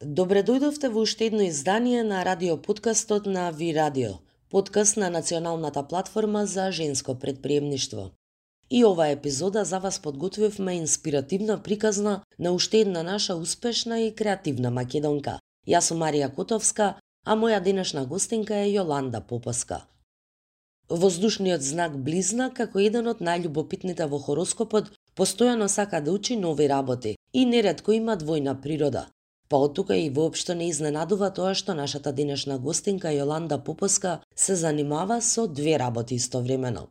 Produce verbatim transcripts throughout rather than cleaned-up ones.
Добре дојдовте во уште едно издание на радиоподкастот на Ви Радио, подкаст на националната платформа за женско предприемништво. И оваа епизода за вас подготвивме инспиративна приказна на уште една наша успешна и креативна македонка. Јас сум Марија Котовска, а моја денешна гостинка е Јоланда Поповска. Воздушниот знак Близнак, како еден од најљубопитните во хороскопот, постојано сака да учи нови работи и неретко има двојна природа. Па од тука и воопшто не изненадува тоа што нашата денешна гостинка Јоланда Поповска се занимава со две работи истовремено.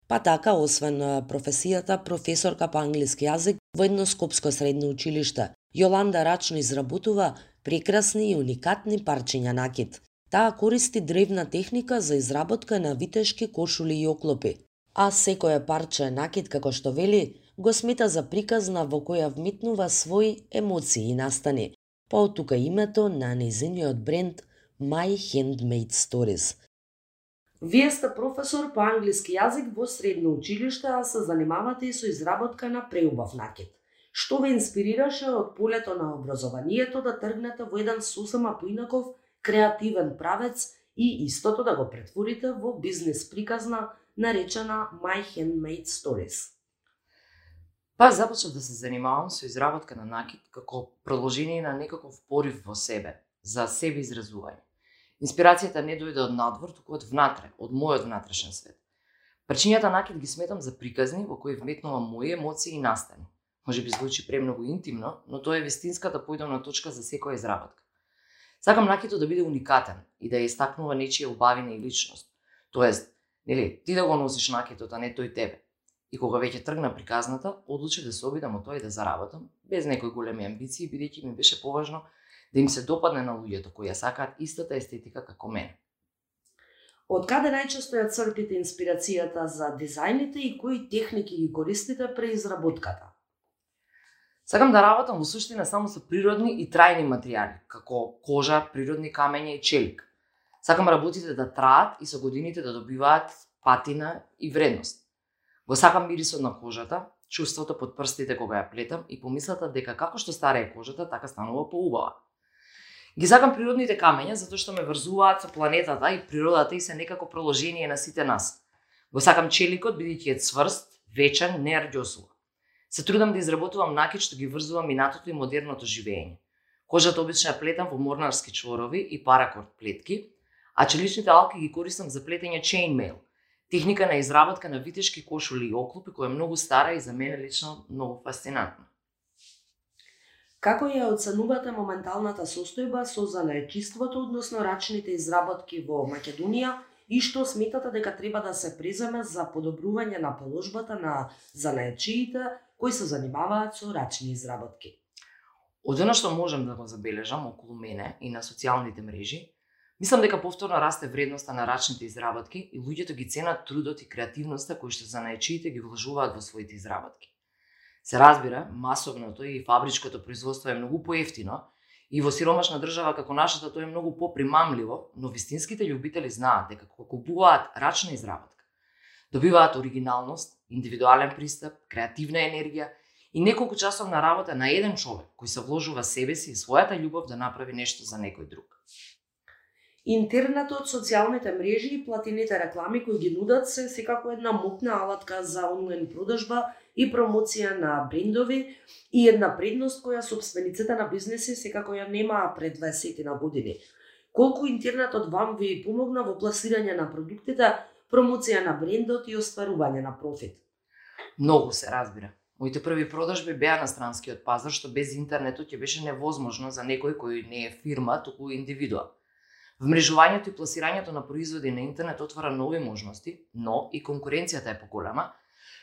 Па така, освен професијата професорка по англиски јазик во едно скопско средно училиште, Јоланда рачно изработува прекрасни и уникатни парчиња накид. Таа користи древна техника за изработка на витешки кошули и оклопи, а секое парче накид, како што вели, го смета за приказна во која вметнува своји емоции и настани. Па од тука името на нејзиниот бренд My Handmade Stories. Вие сте професор по англиски јазик во средно училиште, а се занимавате и со изработка на преубав накид. Што ве инспирираше од полето на образованието да тргнете во еден сосема поинаков креативен правец и истото да го претворите во бизнес приказна наречена My Handmade Stories? Па започнав да се занимавам со изработка на накид како продолжение на некаков порив во себе, за себе изразување. Инспирацијата не дојде од надвор, туку од внатре, од мојот внатрешен свет. Парчињата накид ги сметам за приказни во кои вметнувам мои емоции и настани. Може би звучи премногу интимно, но тоа е вистинската појдовна точка за секоја изработка. Сакам накидот да биде уникатен и да ја истакнува нечија убавина и личност. Тоест, нели, ти да го носиш накидот, а не тој тебе. И кога веќе тргна приказната, одлучив да се обидам од тоа и да заработам, без некои големи амбиции, бидејќи ми беше поважно да им се допадне на луѓето кои ја сакаат истата естетика како мене. Од каде најчесто ја црпите инспирацијата за дизајните и кои техники ги користите при изработката? Сакам да работам во суштина само со природни и трајни материјали, како кожа, природни камења и челик. Сакам работите да траат и со годините да добиваат патина и вредност. Го сакам мирисот на кожата, чувството под прстите кога ја плетам и помислата дека како што старее кожата, така станува поубава. Ги сакам природните камења затоа што ме врзуваат со планетата и природата и се некако проложение на сите нас. Го сакам челикот бидејќи е цврст, вечен, не арѓосува. Се трудам да изработувам накид што ги врзува минатото и модерното живење. Кожата обично ја плетам во морнарски чворови и паракорд плетки, а челичните алки ги користам за плетење chainmail, техника на изработка на витешки кошули и оклопи која е многу стара и за мене лично многу фасцинантна. Како ја оценувате моменталната состојба со занаетчиството, односно рачните изработки во Македонија и што сметате дека треба да се преземе за подобрување на положбата на занаетчиите кои се занимаваат со рачни изработки? Од она што можам да го забележам околу мене и на социјалните мрежи, мислам дека повторно расте вредноста на рачните изработки и луѓето ги ценат трудот и креативноста кои што занаетчиите ги вложуваат во своите изработки. Се разбира, масовното и фабричкото производство е многу поевтино и во сиромашна држава како нашата тоа е многу попримамливо, но вистинските љубители знаат дека кога купуваат рачна изработка, добиваат оригиналност, индивидуален пристап, креативна енергија и неколку часовна работа на еден човек кој се вложува себе си и својата љубов да направи нешто за некој друг. Интернетот, социјалните мрежи и платените реклами кои ги нудат се секако една мокна алатка за онлайн продажба и промоција на брендови и една предност која собствениците на бизнеси секако ја немаа пред дваесет на години. Колку интернетот вам ви помогна во пласирање на продуктите, промоција на брендот и остварување на профит? Многу се разбира. Моите први продажби беа на странскиот пазар, што без интернетот ќе беше невозможно за некој кој не е фирма, туку индивидуа. Вмрежувањето и пласирањето на производи на интернет отвара нови можности, но и конкуренцијата е поголема,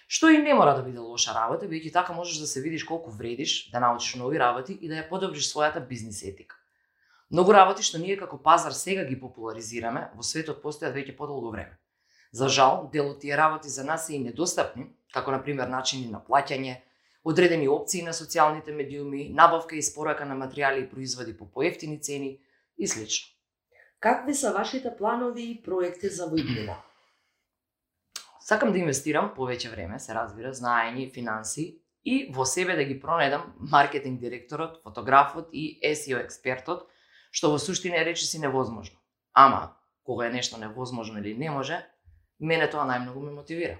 што и не мора да биде лоша работа, бидејќи така можеш да се видиш колку вредиш, да научиш нови работи и да ја подобриш својата бизнис етика. Многу работи што ние како пазар сега ги популаризираме, во светот постојат веќе подолго време. За жал, дел од тие работи за нас се и недостапни, како на пример начини на плаќање, одредени опции на социјалните медиуми, набавка и испорака на материјали и производи по поевтини цени и слично. Какви се вашите планови и проекти за воиднина? Сакам да инвестирам повеќе време, се разбира, знаење, финанси и во себе да ги пронајдам маркетинг директорот, фотографот и ес и о експертот, што во суштина е речиси невозможно. Ама, кога е нешто невозможно или не може, мене тоа најмногу ме мотивира.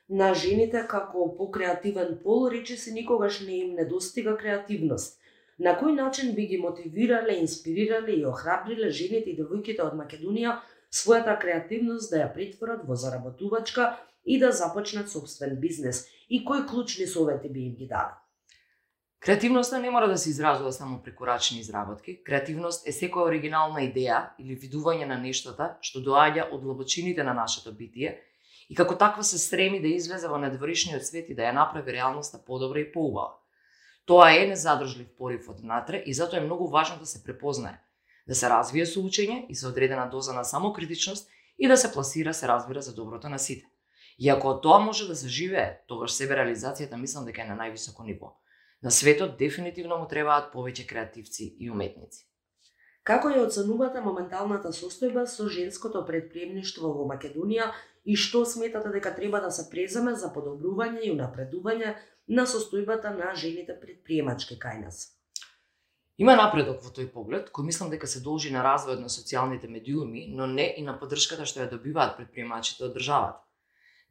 На жените како покреативен пол речиси никогаш не им недостига креативност. На кој начин би ги мотивирале, инспирирале и охрабриле жените и девојките од Македонија својата креативност да ја претворат во заработувачка и да започнат собствен бизнес? И кои клучни совети би им ги дали? Креативноста не мора да се изразува само преку рачни изработки. Креативност е секоја оригинална идеја или видување на нештата што доаѓа од длабочините на нашето битие и како таква се стреми да излезе во надворешниот свет и да ја направи реалноста подобра и поубава. Тоа е незадржлив порив од внатре и затоа е многу важно да се препознае, да се развие со учење и со одредена доза на самокритичност и да се пласира, се разбира, за доброто на сите. И ако тоа може да се живее, тогаш себе реализацијата мислам дека е на највисоко ниво. На светот дефинитивно му требаат повеќе креативци и уметници. Како ја оценувате моменталната состојба со женското претприемништво во Македонија и што сметате дека треба да се преземе за подобрување и унапредување на состојбата на жените предприемачки кај нас? Има напредок во тој поглед, кој мислам дека се должи на развојот на социјалните медиуми, но не и на поддршката што ја добиваат предприемачите од државата.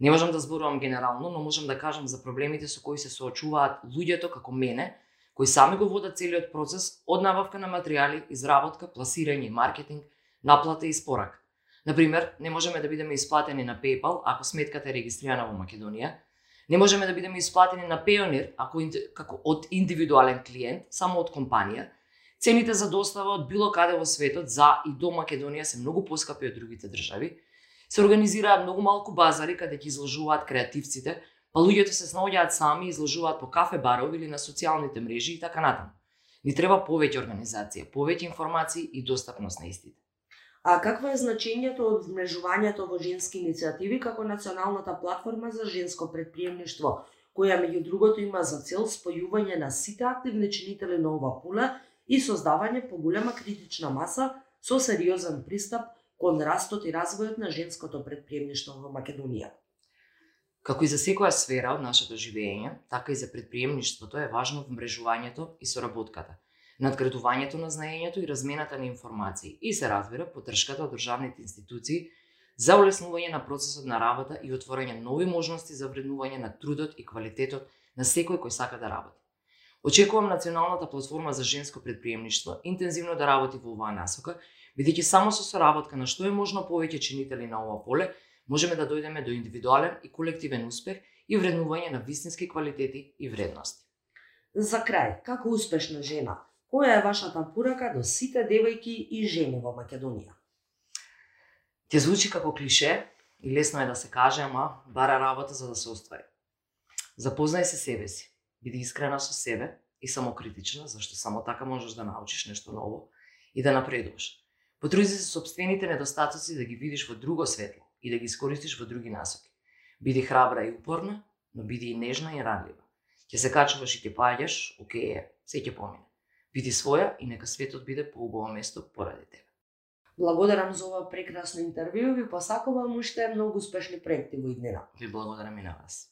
Не можам да зборувам генерално, но можам да кажам за проблемите со кои се соочуваат луѓето како мене, кои сами го водат целиот процес од набавка на материјали, изработка, пласирање и маркетинг, наплата и испорака. Например, не можеме да бидеме исплатени на PayPal ако сметката е регистрирана во Македонија, не можеме да бидеме исплатени на Payoneer ако како од индивидуален клиент, само од компанија. Цените за достава од било каде во светот за и до Македонија се многу поскапи од другите држави. Се организираат многу малку базари каде ќе изложуваат креативците, па луѓето се снаоѓаат сами и изложуваат по кафе барови или на социјалните мрежи и така натаму. Ни треба повеќе организација, повеќе информации и достапност на истите. А какво е значењето од вмрежувањето во женски иницијативи како националната платформа за женско предприемништво, која меѓу другото има за цел спојување на сите активни чинители на ова поле и создавање поголема критична маса со сериозен пристап кон растот и развојот на женското предприемништво во Македонија? Како и за секоја сфера од нашето живење, така и за предприемништвото е важно вмрежувањето и соработката, надградувањето на знаењето и размената на информации и се разбира поддршката од државните институции за улеснување на процесот на работа и отворање нови можности за вреднување на трудот и квалитетот на секој кој сака да работи. Очекувам националната платформа за женско предприемништво интензивно да работи во оваа насока, бидејќи само со соработка на што е можно повеќе чинители на ова поле можеме да дојдеме до индивидуален и колективен успех и вреднување на вистински квалитети и вредности. За крај, како успешна жена, која е вашата порака до сите девојки и жени во Македонија? Ќе звучи како клише и лесно е да се каже, ама бара работа за да се оствари. Запознај се себе си, биди искрена со себе и самокритична, зашто само така можеш да научиш нешто ново и да напредуваш. Потруди се собствените недостатоци да ги видиш во друго светло и да ги искористиш во други насоки. Биди храбра и упорна, но биди и нежна и ранлива. Ќе се качуваш и ќе паѓаш, окей е, се ќе помине. Биди своја и нека светот биде поубаво место поради тебе. Благодарам за ова прекрасно интервју и ви посакувам уште многу успешни проекти во иднина. Ви благодарам и на вас.